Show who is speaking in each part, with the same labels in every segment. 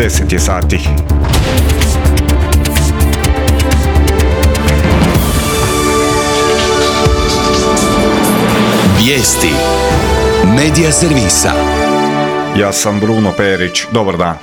Speaker 1: 10 je sati.
Speaker 2: Vijesti Medija servisa.
Speaker 1: Ja sam Bruno Perić, dobar dan.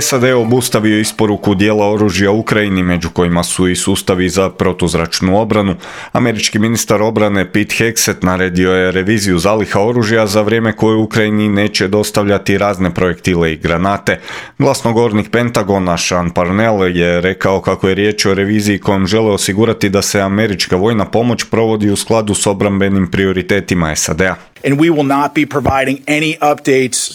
Speaker 1: SAD obustavio isporuku dijela oružja Ukrajini, među kojima su i sustavi za protuzračnu obranu. Američki ministar obrane Pete Hegseth naredio je reviziju zaliha oružja za vrijeme koje Ukrajini neće dostavljati razne projektile i granate. Glasnogovornik Pentagona Sean Parnell je rekao kako je riječ o reviziji kojom žele osigurati da se američka vojna pomoć provodi u skladu s obrambenim prioritetima SAD-a.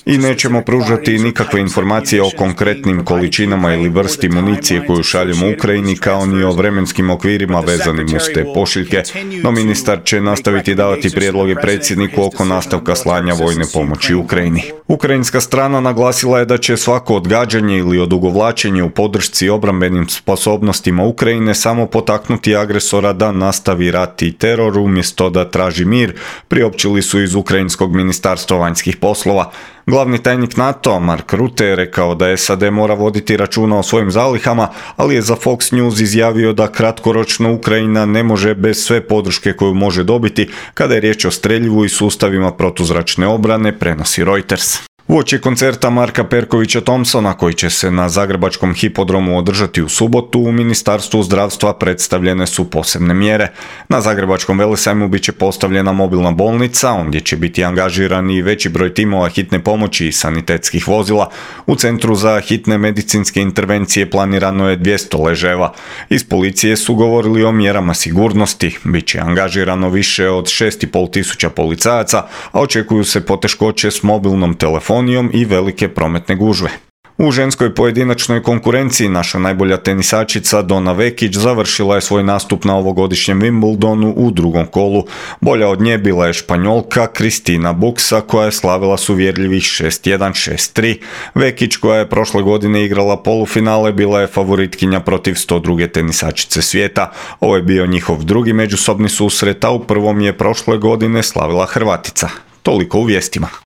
Speaker 1: I nećemo pružati nikakve informacije o konkretnim količinama ili vrsti municije koju šaljemo Ukrajini, kao ni o vremenskim okvirima vezanim uz te pošiljke, no ministar će nastaviti davati prijedloge predsjedniku oko nastavka slanja vojne pomoći Ukrajini. Ukrajinska strana naglasila je da će svako odgađanje ili odugovlačenje u podršci obrambenim sposobnostima Ukrajine samo potaknuti agresora da nastavi rat i teror umjesto da traži mir, priopćili su iz Ukrajinskog ministarstva vanjskih poslova. Glavni tajnik NATO Mark Rutte je rekao da SAD mora voditi računa o svojim zalihama, ali je za Fox News izjavio da kratkoročno Ukrajina ne može bez sve podrške koju može dobiti kada je riječ o streljivu i sustavima protuzračne obrane, prenosi Reuters. Uoči koncerta Marka Perkovića Thompsona, koji će se na Zagrebačkom hipodromu održati u subotu, u Ministarstvu zdravstva predstavljene su posebne mjere. Na Zagrebačkom velesajmu bit će postavljena mobilna bolnica, ondje će biti angažiran i veći broj timova hitne pomoći i sanitetskih vozila. U Centru za hitne medicinske intervencije planirano je 200 leževa. Iz policije su govorili o mjerama sigurnosti. Biće angažirano više od 6.500 policajaca, a očekuju se poteškoće s mobilnom telefonijom i velike prometne gužve. U ženskoj pojedinačnoj konkurenciji naša najbolja tenisačica Donna Vekić završila je svoj nastup na ovogodišnjem Wimbledonu u drugom kolu. Bolja od nje bila je Španjolka Cristina Bucsa, koja je slavila s uvjerljivih 6-1, 6-3. Vekić, koja je prošle godine igrala polufinale, bila je favoritkinja protiv 102. tenisačice svijeta. Ovo je bio njihov drugi međusobni susret, a u prvom je prošle godine slavila Hrvatica. Toliko u vijestima.